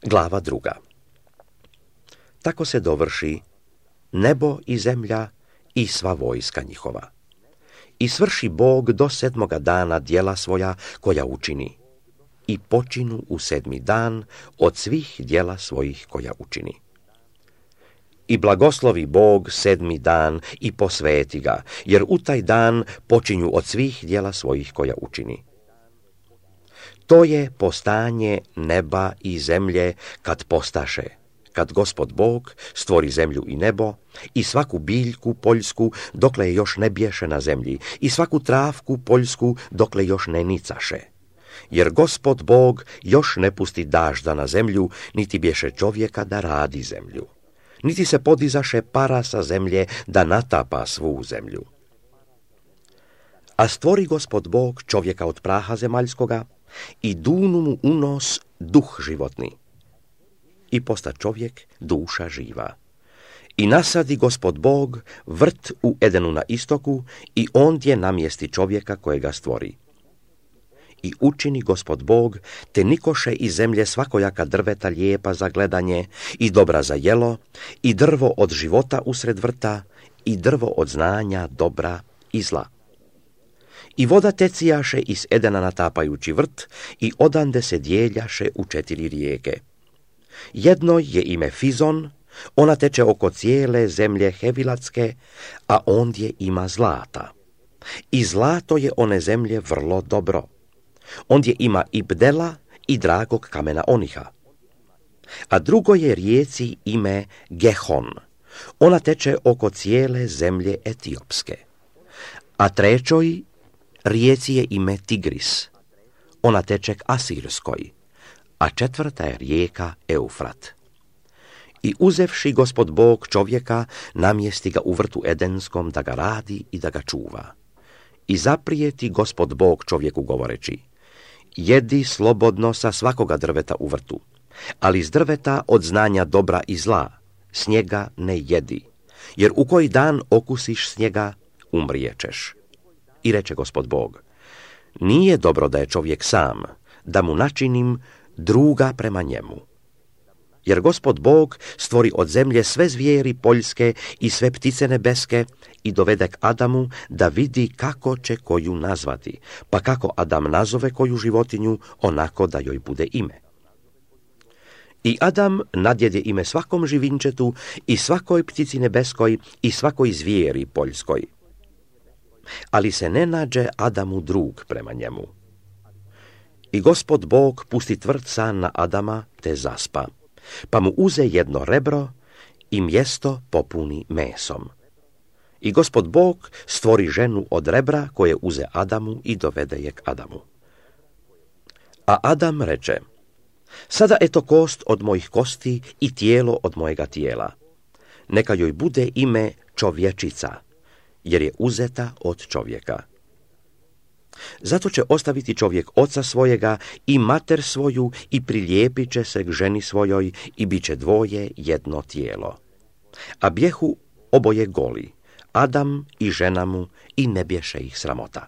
Glava 2. Tako se dovrši nebo i zemlja i sva vojska njihova. I svrši Bog do 7. dana djela svoja koja učini. I počinu u 7. dan od svih djela svojih koja učini. I blagoslovi Bog 7. dan i posveti ga, jer u taj dan počinju od svih djela svojih koja učini. To je postanje neba i zemlje kad postaše, kad Gospod Bog stvori zemlju i nebo i svaku biljku poljsku dokle je još ne bješe na zemlji i svaku travku poljsku dokle još ne nicaše. Jer Gospod Bog još ne pusti dažda na zemlju, niti bješe čovjeka da radi zemlju. Niti se podizaše para sa zemlje da natapa svu zemlju. A stvori Gospod Bog čovjeka od praha zemaljskoga i dunu mu u nos duh životni. I posta čovjek duša živa. I nasadi Gospod Bog vrt u Edenu na istoku i ondje namjesti čovjeka kojega stvori. I učini Gospod Bog te nikoše iz zemlje svakojaka drveta lijepa za gledanje i dobra za jelo i drvo od života usred vrta i drvo od znanja dobra i zla. I voda tecijaše iz Edena natapajući vrt i odande se dijeljaše u 4 rijeke. Jednoj je ime Fizon, ona teče oko cijele zemlje Hevilatske, a ondje ima zlata. I zlato je one zemlje vrlo dobro. Ondje ima i bdela i dragog kamena oniha. A drugo je rijeci ime Gehon, ona teče oko cijele zemlje Etiopske. A trećoj rijeci je ime Tigris, ona teče k Asirskoj, a 4. je rijeka Eufrat. I uzevši Gospod Bog čovjeka, namjesti ga u vrtu Edenskom da ga radi i da ga čuva. I zaprijeti Gospod Bog čovjeku govoreći: jedi slobodno sa svakoga drveta u vrtu, ali iz drveta od znanja dobra i zla s njega ne jedi, jer u koji dan okusiš s njega, umrijećeš. I reče Gospod Bog: nije dobro da je čovjek sam, da mu načinim druga prema njemu. Jer Gospod Bog stvori od zemlje sve zvijeri poljske i sve ptice nebeske i dovede k Adamu da vidi kako će koju nazvati, pa kako Adam nazove koju životinju, onako da joj bude ime. I Adam nadjede ime svakom živinčetu i svakoj ptici nebeskoj i svakoj zvijeri poljskoj. Ali se ne nađe Adamu drug prema njemu. I Gospod Bog pusti tvrd san na Adama te zaspa, pa mu uze jedno rebro i mjesto popuni mesom. I Gospod Bog stvori ženu od rebra koje uze Adamu i dovede je k Adamu. A Adam reče: sada eto kost od mojih kosti i tijelo od mojega tijela. Neka joj bude ime čovječica, jer je uzeta od čovjeka. Zato će ostaviti čovjek oca svojega i mater svoju i prilijepit će se k ženi svojoj i bit će dvoje jedno tijelo. A bjehu oboje goli, Adam i žena mu, i ne bješe ih sramota.